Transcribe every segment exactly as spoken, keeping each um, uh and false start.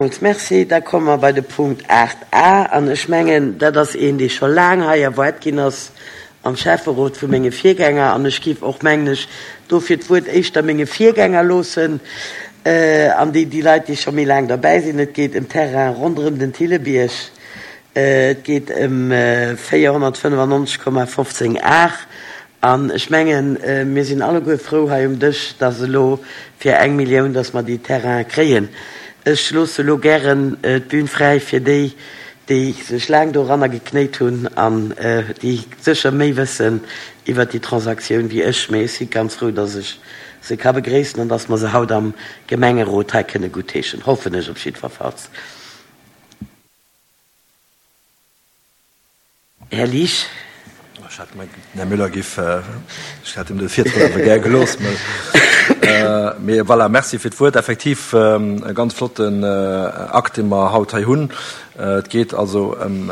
Merci. Da komme mer bei de Punkt aacht a. An ech mengen, dat ass een, dee scho laang hei erwaart ginn ass am Schäfferot vu menge Virgänger. An ech géif och, mengen ech, dofir d'Wuert éischter menge Virgänger loossen an déi, déi Leit, déi scho méi laang derbäi sinn. Et geet ëm Terrain ronderëm den Thillebierg. Et geet ëm véierhonnertfënnefannonzeg Komma fofzéng Ar. An ech mengen, mir sinn alleguer frou hei um Dësch, dass elo fir eng Millioun, dass mer déi Terraine kréien. Ech loosse elo gären d'Bün fräi fir déi, déi sech laang doranner geknéit hunn an déi sécher méi wëssen iwwert déi Transaktioun wéi ech. Mee ech si ganz frou, dass ech se ka begréissen an dass mer se haut am Gemengerot hei kënne guttheeschen, hoffen ech op jiddwerfalls. Här Liesch. Ech hat gemengt, den Här Müller giff, ech hätt him de Virtritt awer gär gelooss. Mee voilà, merci fir d'Wuert. Effektiv e ganz flotten Akt, dee mer haut hei hunn. Et geet also ëm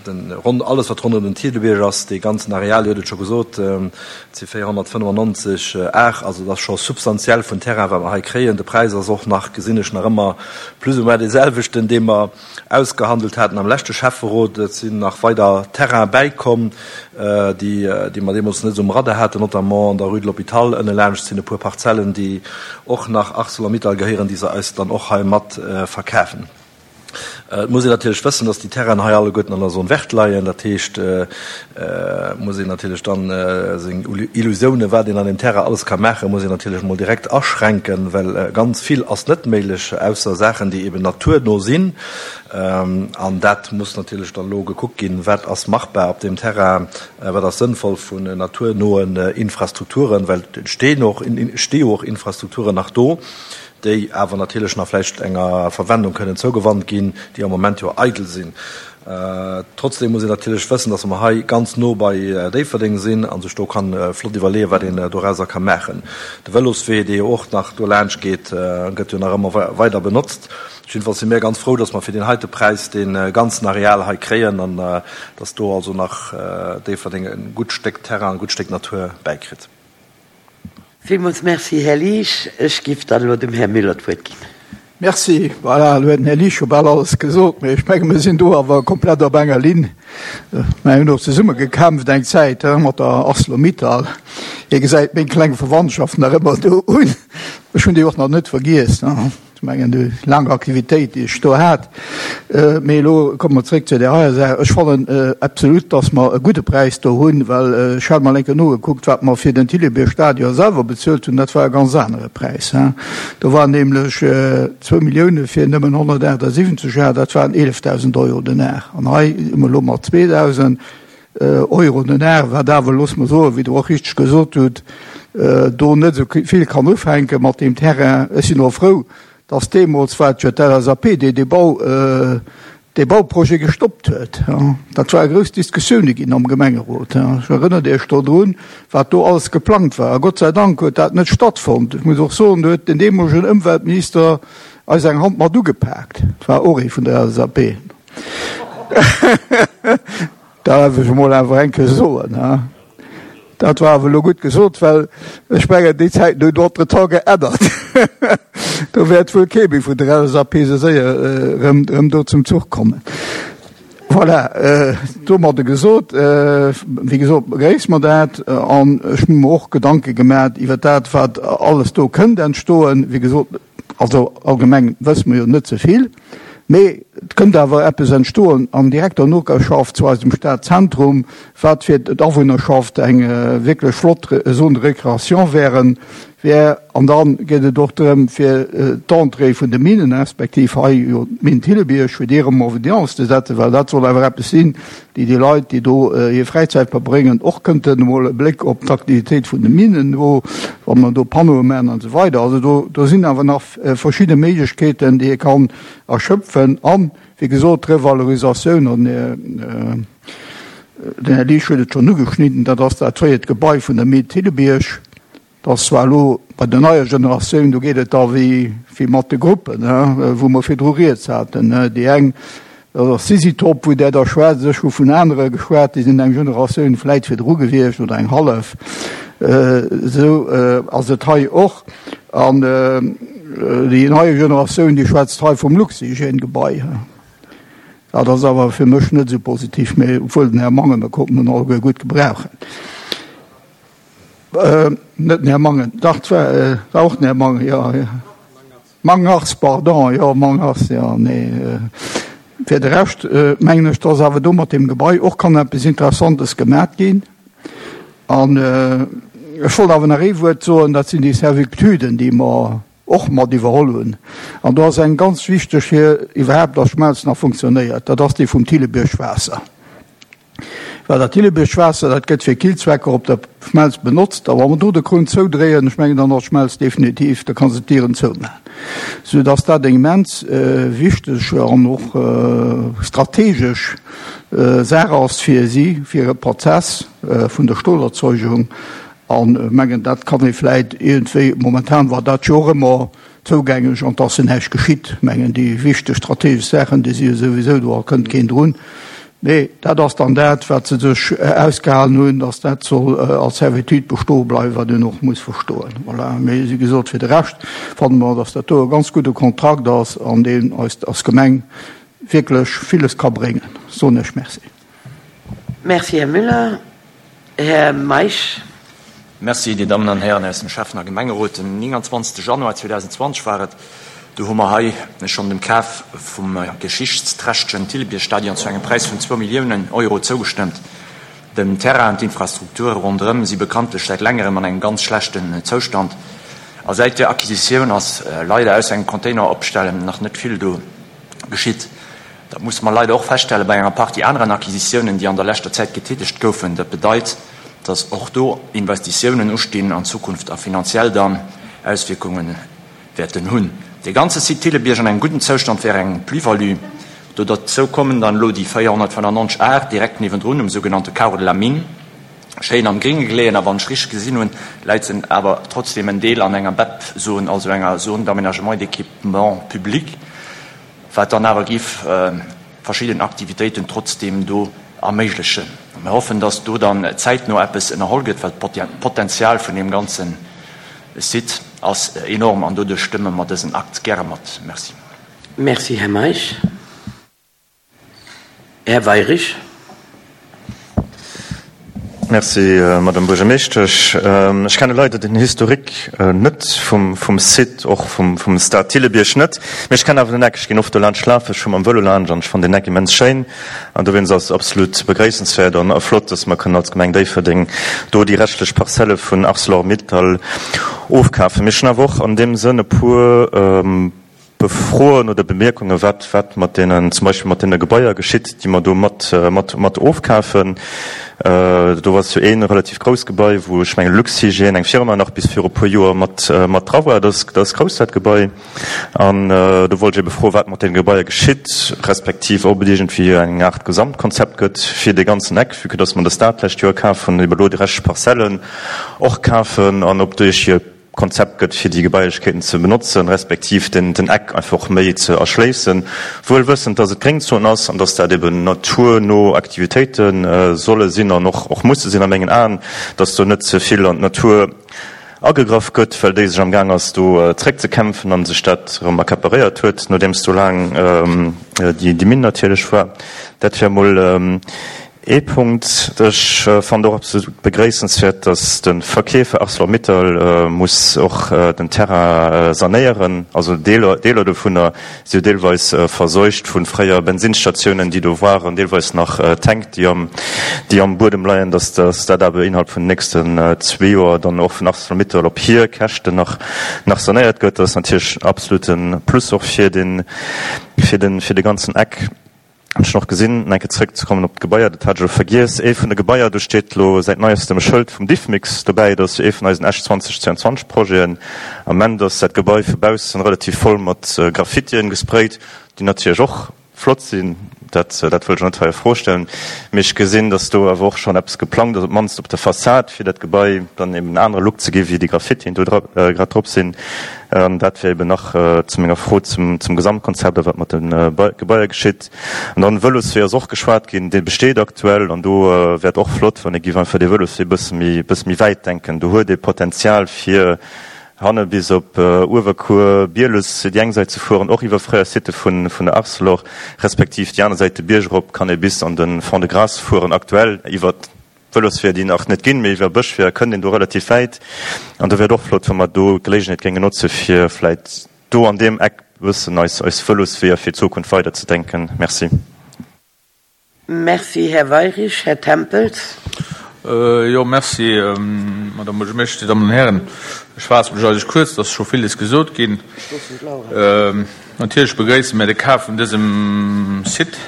den ronn, alles wat ronderëm den Thiedelbierg ass, dee ganzen Areal, Dir hutt et scho gesot, et si véierhonnertfënnefannonzeg Ar, also et ass scho substantiell vun Terrain, wat mer hei kréien. De Präis ass och nach, gesinn ech nach ëmmer, plus ou moins dee selwechten, dee mer ausgehandelt haten am leschte Schäfferot. Et sinn nach weider Terraine bäikomm, déi, déi mer deemools net esou um Radar haten, notamment an der Rue de l'Hôpital ënne laanscht sinn e puer Parzellen, déi och nach Arcelor-Mittal gehéieren, déi se eis dann och hei mat verkafen. Et muss een natierlech wëssen, dass déi Terrainen hei alleguerten an der Zone verte leien. Dat heescht, et muss een natierlech dann seng Illusiounen, wat een an deem Terrain alles ka maachen, muss een natierlech emol direkt aschränken, well ganz vill ass net méiglech, ausser Saachen, déi eben naturno sinn. An dat muss natierlech dann elo gekuckt ginn, wat ass machbar op deem Terrain, wat ass sënnvoll vun naturnoen Infrastrukturen, well et stinn och, sti och Infrastrukturen nach do, déi awer natierlech nach vläicht enger Verwendung kënnen zougewannt ginn, déi am Moment jo eidel sinn. Trotzdem muss een natierlech wëssen, dass mer hei ganz no bei Déifferdeng sinn a sech do kann flott iwwerleeën, wat een dorauser ka maachen. De Vëloswee, dee jo och nach do laanscht geet, gëtt jo nach ëmmer weider benotzt. Jiddefalls si mir ganz frou, dass mer fir deen heite Präis dee ganzen Areal hei kréien an dass do also nach Déifferdeng e gutt Stéck Terrain, e gutt Stéck Natur bäikritt. Villmools Merci, Här Liesch. Ech giff dann elo dem Här Müller d'Wuert ginn. Merci. Voilà, elo huet den Här Liesch scho bal alles gesot, mee ech menge mir sinn do awer komplett op enger Linn. Mir hunn och zesumme gekämpft eng Zäit mat der Arcelor-Mittal. Hie gesäit meng kleng Verwandtschaft nach ëmmer do un. Ech hunn déi och nach net vergiess. Ech mengen, déi laang Aktivitéit, déi ech do hat. Mee elo komme mer zréck zu där heier Saach. Ech fannen absolut, dass mer e gudde Präis do hunn, well ech hat mol eng Kéier nogekuckt, wat mer fir den Thillebier-Stadion selwer bezuelt hunn. Dat war e ganz anere Präis. Do waren nämlech zwou Millioune fir nëmmen honnertaachtsiwwenzeg Ar, dat waren eelefdausend Euro den Ar. An hei si mer elo mat zweedausend. Euro den Ar, wat awer, loosse mer soen, wéi Der och richteg gesot hutt, do net esou vill kann ufänke mat deem Terrain. Ech sinn och frou, dass deemools war et jo d'LSAP, déi dee Bau, dee Bauprojet gestoppt huet. Dat ware grouss Diskussioune ginn am Gemengerot. Ech erënnert Iech do drun, wat do alles geplangt war. A Gott sei Dank huet dat net stattfonnt. Ech muss och soen, do huet den deemolegen Ëmweltminister eis eng Hand mat ugepaakt. Dat war och ee vun der LSAP. Dat darf ech emol awer eng Kéier soen. Dat war awer elo gutt gesot, well ech mengen, déi Zäiten hunn entretemps geännert. Do wäert wuel kee méi vun der LSAP esou séier erëm, erëm do zum Zuch kommen. Voilà, domadde gesot, wéi gesot, begréisse mer dat an ech hu mer och Gedanke gemaach iwwer dat, wat alles do kënnt entstoen. Wéi gesot, also allgemeng wësse mer jo net ze vill. Mee et kënnt awer eppes entstoen an direkter Noperschaft zu eisem Stadzentrum, wat fir d'Awunnerschaft eng wierklech flott Zone de récréation wären, wär. An da geet et och drëm, fir d'Entrée vun de Minen, respektiv hei jo d'Minn Thillebierg, fir déi erëm en évidence ze setzen, well dat soll awer eppes sinn, déi déi Leit, déi do hir Fräizäit verbréngen, och kënnten emol e Bléck op d'Aktivitéit vun de Minen do, wa mer do Panneaue maachen an esou weider. Also do, do sinn awer nach verschidde Méiglechkeeten, déi ee kann erschöpfen. An, wéi gesot, d'Revalorisatioun, an den Här Liesch huet et schonn ugeschnidden, dat ass dat fréiert Gebai vun der Mine Thillebierg. Et ass zwar elo bei der neier Generatioun, do geet et da wéi mat de Gruppen, wou mer virdru rieds haten. Déi eng, dat ass Sisitop, wou där da schwätzt. Ech hu vun anere geschwat, déi sinn eng Generatioun vläit virdru gewiescht oder eng hallef. Esou ass et hei och. An déi nei Generatioun, déi schwätzt hei vum Luxhygiène-Gebai. Dat ass awer fir mech net esou positiv, mee obwuel den Här Mangen, mir konnten en alleguer gutt gebrauchen. Net den Här Mangen, dach, et war, war och den Här Mangen, jo, jo. Mangars, pardon, jo, Mangars, jo, nee. Fir de Rescht mengen ech, dass awer do mat deem Gebai och kann eppes Interessantes gemat ginn. An ech wollt awer nach ee Wuert soen, dat sinn déi Servituden, déi mer och mat iwwerholl hunn. An do ass eng ganz wichteg fir iwwerhaapt, dass Schmelz nach funktionéiert, dat ass déi vum Thillebiërg-Waasser. Well dat Thillebiërg-Waasser, dat gëtt fir Killzwecker op der Schmelz benotzt. A wa mer do de Krunn zoudréien, ech mengen, dann ass d'Schmelz definitiv, da ka se d'Dieren zoumaachen. Soudass dat eng immens wichteg an och strategesch Saach ass fir si, fir hire Prozess vun der Stolerzeugung. An ech mengen, dat kann ee vläit iergendwéi, momentan war dat jo och ëmmer zougänglech an 't ass jo näischt geschitt. Ech mengen, déi wichteg strategesch Saachen, déi si jo souwisou do a kënnt keen drun. Mee dat ass dann dat, wat se sech ausgehalen hunn, dass dat soll als Servitude bestoe bleiwen, wat een och muss verstoen. Voilà. Mee wéi gesot, fir de Rescht fanne mer, dass dat do e ganz gudde Kontrakt ass an deen eis als Gemeng wierklech villes ka bréngen. Soen ech Merci. Merci, Här Müller. Här Meisch. Merci, Dir Dammen an Hären aus dem Schäffen a Gemengerot. Den nénganzwanzegste Januar zweedausendzwanzeg war et, do hu mer hei schonn dem Kaf vum geschichtsträchtegen Thillebierg-Stadion zu engem Präis vun zwou Milliounen Euro zougestëmmt. Den Terrain an d'Infrastrukture ronderëm si bekanntlech säit längerem an engem ganz schlechten Zoustand. A säit där Acquisitioun ass leider ausser engem Container opstellen nach net vill do geschitt. Dat musse mer leider och feststelle bei enger Partie aneren Acquisitiounen, déi an der leschter Zäit getätegt goufen. Dat bedeit, dass och do Investitiounen ustinn an Zukunft a finanziell dann Auswierkunge wäerten hunn. Dee ganze Site Thillebierg an engem gudden Zoustand wär eng Plus-value. Do derzou kommen dann elo déi véierhonnertfënnennonzeg Ar direkt niewendrun um sougenannte Carreau de la Mine, schéin am Gringe geleeën. A wann ech richteg gesinn hunn, läit se awer trotzdeem en Deel an enger B E P-Zon, also enger Zone d'aménagement et d'équipement public. Wat dann awer géif verschidden Aktivitéiten trotzdeem do erméiglechen. Mir hoffen, dass do dann zäitno eppes ënnerholl gëtt, well d'Potenzial vun deem ganze Site ass enorm an doduerch stëmme mer dësen Akt gäre mat. Merci. Merci, Här Meisch. Här Weyrich. Merci, Madame Buergermeeschtesch. Ech kenne leider den Historique net vum Site, och vum Stade Thillebierg net. Mee ech kennen awer den Eck. Ech ginn oft do laanscht lafen. Ech fu mam Vëlo laanscht an ech fannen den Eck immens schéin. An dowéinst ass et absolut begréissenswäert an flott, dass mer kënnen als Gemeng Déifferdeng do déi reschtlech Parzelle vun Arcelor-Mittal ofkafen. Mee ech hunn awer och an deem Sënn e puer Froen oder Bemierkungen, wat wat mat deenen, zum Beispill mat deene Gebaier geschitt, déi mer do mat mat mat ofkafen. Do ass jo ee relativ grouss Gebai, wou ech mengen Luxhygiène, eng Firma, nach bis viru puer Joer mat mat dra war. Dat ass dat ass grouss, dat Gebai. An do wollt ech ebe froen, wat mat deene Gebaier geschitt, respektiv ob et iergendwéi eng Aart Gesamtkonzept gëtt fir dee ganzen Eck, vue que dass mer de Stade d'lescht Joer kaf hunn, ebe lo déi reschteg Parzellen och kafen, an ob duerch hir Konzept gëtt, fir déi Gebailechkeeten ze benotzen, respektiv den den Eck einfach méi ze erschléissen, wuel wëssend, dass et Gréngzon ass an dass dat eben naturno Aktivitéite solle sinn an och och musse sinn a mengen Aen, dass do net ze vill an d'Natur agegraff gëtt, well déi sech amgaang ass do zréckzekämpfen a sech dat erëm accaparéiert huet, nodeems do laang déi déi Minn natierlech war. Dat wär emol Ee Punkt, Ech fannen och absolut begréissenswäert, dass de Verkeefer Arcelor-Mittal muss och den Terrain sanéieren. Also Deeler, Deeler dovunner si jo deelweis verseucht vu fréier Bensinsstatiounen, déi do waren, deelweis nach Tänk, déi am, déi am Buedem leien, dass, dass dat awer innerhalb vun den nächsten zwee Joer dann och vun Arcelor-Mittal op hir Käschten nach, nach sanéiert gëtt. Dat ass natierlech en absolute Plus och fir den, fir den, fir de ganzen Eck. Hunn ech nach gesinn, enke zréckzekommen op d'Gebaier, dat hat ech elo vergiess, ee vun de Gebaier, do steet elo säit neiestem e Schëld vum Diffmix dobäi, dat ass jo ee vun eisen Esch zwanzeg zweianzwanzeg Projeten. Am Ament ass dat Gebai vu baussen relativ voll mat Graffitien gesprayt, déi natierlech och flott sinn, dat dat wëll ech net hei a Fro stellen, mee ech gesinn, datt do awer och schonn eppes geplangt ass, op d'mannst op der Fassad, fir dat Gebai dann eben en anere Look ze gi wéi déi Graffitien do dra grad drop sinn. An dat wär eben nach zu menger Fro zum Gesamtkonzept a wat mat de Gebaier geschitt. An dann, Vëloswee ass och geschwat ginn, dee besteet aktuell. An do wär et och flott, wann ee géif einfach dee Vëloswee e bësse méi, bësse méi wäit denken. Do huet ee Potenzial fir hanne bis op Uewerkuer, Bieles déi eng Säit ze fueren, och iwwer fréier Sitte vun vun der Arcelor, respektiv déi aner Säit de Bierg erop kann ee bis an de Fond-de-Gras fueren. Aktuell iwwer Vëlosweeër, déi nach net ginn, mee iwwer Bëschweeër kënnt een do relativ wäit. An do wär et och flott, wa mer do d'Geleegenheet géinge notze fir vläit do an deem Eck e bëssen eis eis Vëlosweeër fir d'Zukunft weiderzedenken. Merci. Merci, Här Weyrich. Här Tempels. Jo, merci, Madame Buergermeeschtesch, Dir Dammen an Hären. Ech faasse mech eigentlech kuerz, et ass scho villes gesot ginn. Natierlech begréisse mir de Kaf vun dësem Site.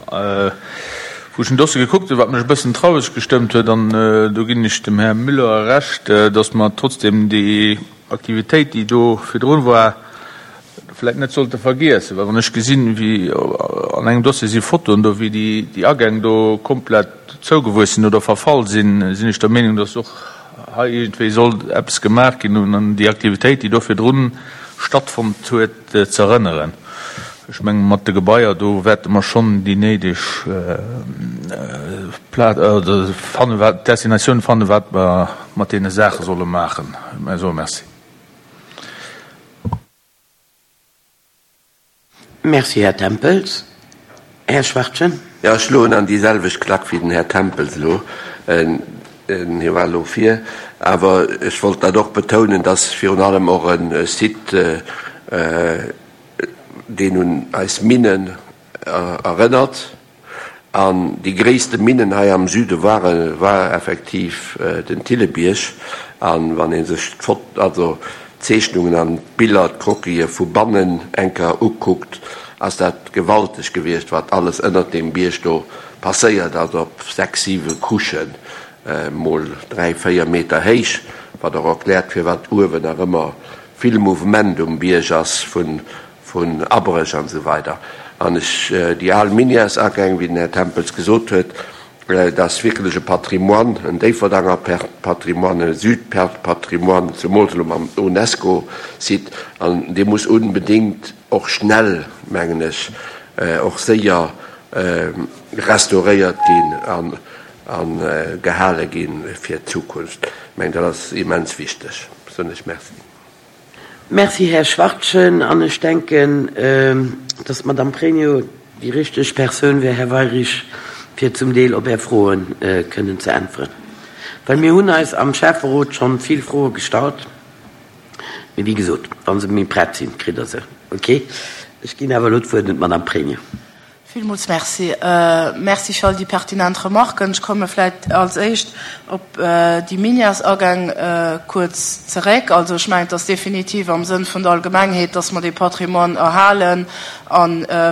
Wou ech den Dossier gekuckt hunn, wat mech e bëssen traureg gestëmmt huet, an do ginn ech dem Här Müller Recht, datt mer trotzdem déi Aktivitéit, déi do virdrun war, vläicht net sollte vergiessen, well wann ech gesinn, wéi an engem Dossier si Fotoen do, wéi déi Agäng do komplett zougewuess sinn oder verfall sinn, sinn ech der Meenung, dass och hei iergendwéi sollt eppes gemaach ginn, un an déi Aktivitéit, déi do virdrun stattfonnt huet, ze erënneren. Ech mengen, mat de Gebaier do wäerte mer schonn déi néideg Plaz oder fannen, wat d'Destinatioun fannen, wat mer mat deene Saache solle maachen. Mä soe Merci. Merci, Här Tempels. Här Schwachtgen. Jo, ech schloen an déi selwecht Klack wéi den Här Tempels elo. Hie war elo vir. Awer ech wollt dat och betounen, dass virun allem och e Site, deen un eis Minnen erënnert, An déi gréisste Minnen hei am Süde ware war effektiv den Thillebierg. A wann ee sech d'Fot also d'Zeechnungen an d'Biller, d'Croquise vu bannen eng Kéier ukuckt, ass dat gewalteg gewiescht, wat alles ënnert deem Bierg do passéiert ass, op sechs, siwe Couchen, mol dräi, véier Meter héich, wat och erkläert, firwat uewen nach ëmmer vill Mouvement um Bierg ass vun vun Abréch an esou weider. An ech, déi al Minièresagäng, wéi den Här Tempels gesot huet, dat ass wierklech e Patrimoine, en Déifferdanger Patrimoine, e Südpatrimoine, zemools elo mam Unesco-Site. An dee muss unbedéngt och schnell, mengen ech, och séier restauréiert ginn a gehale gi fir d'Zukunft. Ech mengen, dat ass immens wichteg. Soen ech Merci. Merci, Här Schwachtgen. An ech denken, dass d'Madame Pregno déi richteg Persoun wär, Här Weyrich, fir zum Deel op Är Froe kënnen ze äntweren. Well mir hunn eis am Schäfferot scho vill Froe gestallt. Mee wéi gesot, wa se méi prett sinn, kritt Der se. Okay? Ech ginn awer elo d'Wuert un d'Madame Pregno. Villmools Merci. Merci fir all déi pertinent Remarken. Ech komme vläicht als éischt op déi Minièresagäng kuerz zeréck. Also ech mengen, et ass definitiv am Sënn vun der Allgemengheet, dass mer dee Patrimoine erhalen a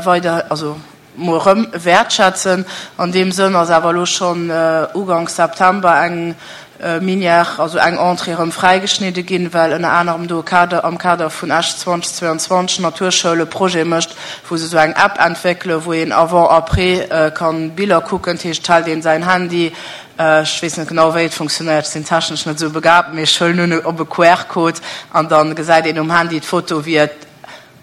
weider, also mol erëm wäertschätzen. An deem Sënn ass awer elo schonn uganks September eng Minière, also eng Entrée erëm fräigeschnidde ginn, well ënner anerem do e Kader, am Kader vun Esch zweitausendzweiundzwanzeg Naturschoul e Projet mécht, wou se esou eng App entwéckelen, wou een avant, après kann Biller kucken. Dat heescht, et hält een säin Handy, ech weess net genau wéi et funktionéiert, ech sinn technesch net esou begabt, mee ech huelen un, op e Q R-Code an da gesäit een um Handy d'Foto wéi et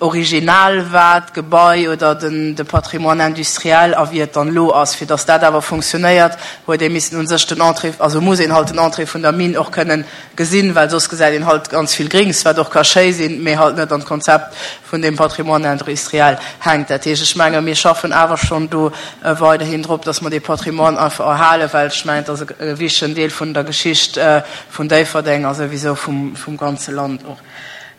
original war, d'Gebai oder den de Patrimoine industriel, a wéi et dann elo ass. Fir datt dat awer funktionéiert, huet ee missen u sech den Entrée, also muss een halt den Entrée vun der Mine och kënnen gesinn, well soss gesäit een halt ganz vill Grings, wat och ka schéi sinn, mee halt net an d'Konzept vun deem Patrimoine industriel hänkt. Dat heescht, ech menge mir schaffen awer schonn do weiderhin drop, datt mer dee Patrimoine einfach erhalen, well ech mengen, et ass e wichtegen Deel vun der Geschicht vun Déifferdeng a souwisou vum vum ganze Land och.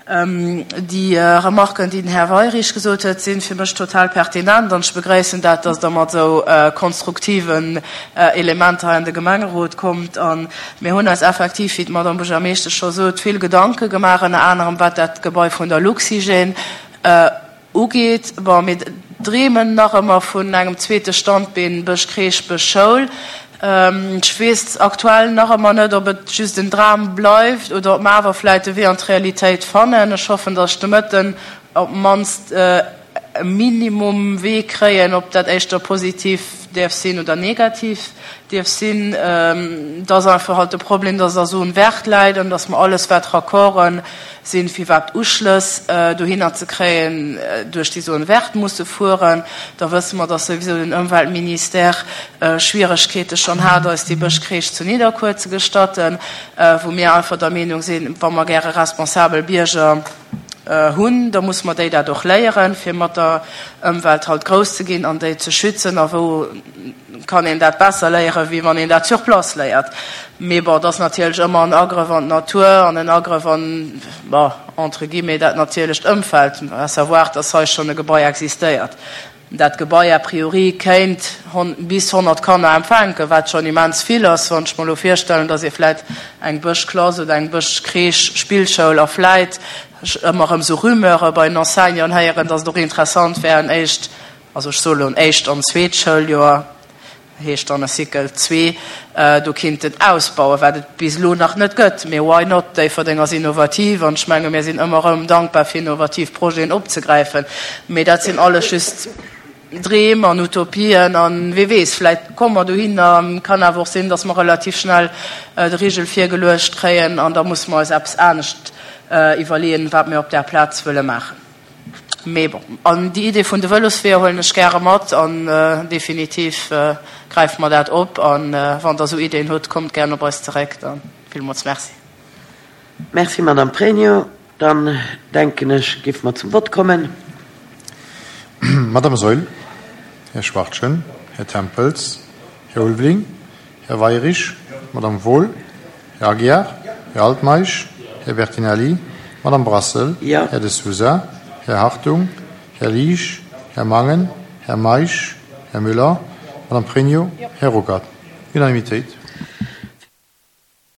Déi Remarken, déi den Här Weyrich gesot huet, si fir mech total pertinent an ech begréissen dat, dass Der mat esou konstruktiven Elementer hei an de Gemengerot kommt. A mir hunn eis effektiv, wéi d'Madame Buergermeeschtesch scho sot, vill Gedanke gemaach, ënner anerem wat dat Gebai vun der Luxhygiène ugeet. Bon, mir dreemen nach ëmmer vun engem zweete Standbeen Bësch-Crèche, Bësch-Schoul. Ech weess aktuell nach ëmmer net, ob et just en Dram bleift oder ob mer awer vläicht de Wee an d'Realitéit fannen. Ech hoffen, datt ech de Mëtten op d'mannst e Minimum Wee kréien, ob dat éischter positiv däerf sinn oder negativ dierf sinn. Et ass einfach halt de Problem, dass der Zone verte läit an dass mer alles, wat Raccorden sinn, fir iwwerhaapt Uschlëss dohinner ze kréien, duerch déi Zone verte musse fueren. Da wësse mer, dass souwisou den Ëmweltministère Schwieregkeete schonn hat, eis déi Bëschcrèche zu Nidderkuer ze gestatten, wou mir einfach der Meenung sinn, wa mer gäre responsabel Bierger hunn, da musse mer déi dat och léieren, fir mat der Ëmwelt halt grouss ze ginn an déi ze schützen. A wou kann een dat besser léieren, wéi wann een dat sur place léiert? Mee bon, et ass natierlech ëmmer en Agrëff an d'Natur an en Agrëff an, bon, entre guillemets, dat natierlecht Ëmfeld, à savoir, dass hei schonn e Gebai existéiert. Dat Gebai a priori kéint bis honnert Kanner empfänken, wat schonn immens vill ass, wann ech mer elo virstellen, dass ee vläit eng Bëschklass oder eng Bëschcrèche, Spillschoul a vläit, ech ëmmer erëm esou Rumeure bei den Enseignanten héieren, dass et och interessant wär, en éischt, also ech soe elo en éischt an zweet Schouljoer, heescht dann e Cycle zwee, do kinnten ausbauen, wat et bis elo nach net gëtt. Mee why not? Déifferdeng ass innovativ an ech menge mir sinn ëmmer erëm dankbar fir innovativ Projeten opzegräifen. Mee dat sinn alles just Dreem an Utopien an wee weess, vläit komme mer dohinner. Kann awer och sinn, datt mer relativ schnell de Rigel virgeluecht kréien an da musse mer eis eppes anescht iwwerleeën, wat mir op där Plaz wëlle maachen. Mee bon, an déi Idee vun de Vëlosweeër huelen ech gäre mat an definitiv gräife mer dat op. A wann Der esou Ideeën hutt, kommt gären op eis zeréck. Da villmools Merci. Merci, Madame Pregno. Dann, denken ech, géife mer zum Vott kommen. Madame Saeul, Här Schwachtgen, Här Tempels, Här Ulveling, Här Weirich, Madame Wohl, Här Aguiar, Här Altmeisch, Här Bertinelli, Madame Brassel, Här De Sousa, Här Hartung, Här Liesch, Här Mangen, Här Meisch, Här Müller, Madame Pregno, Här Ruckert. Unanimitéit.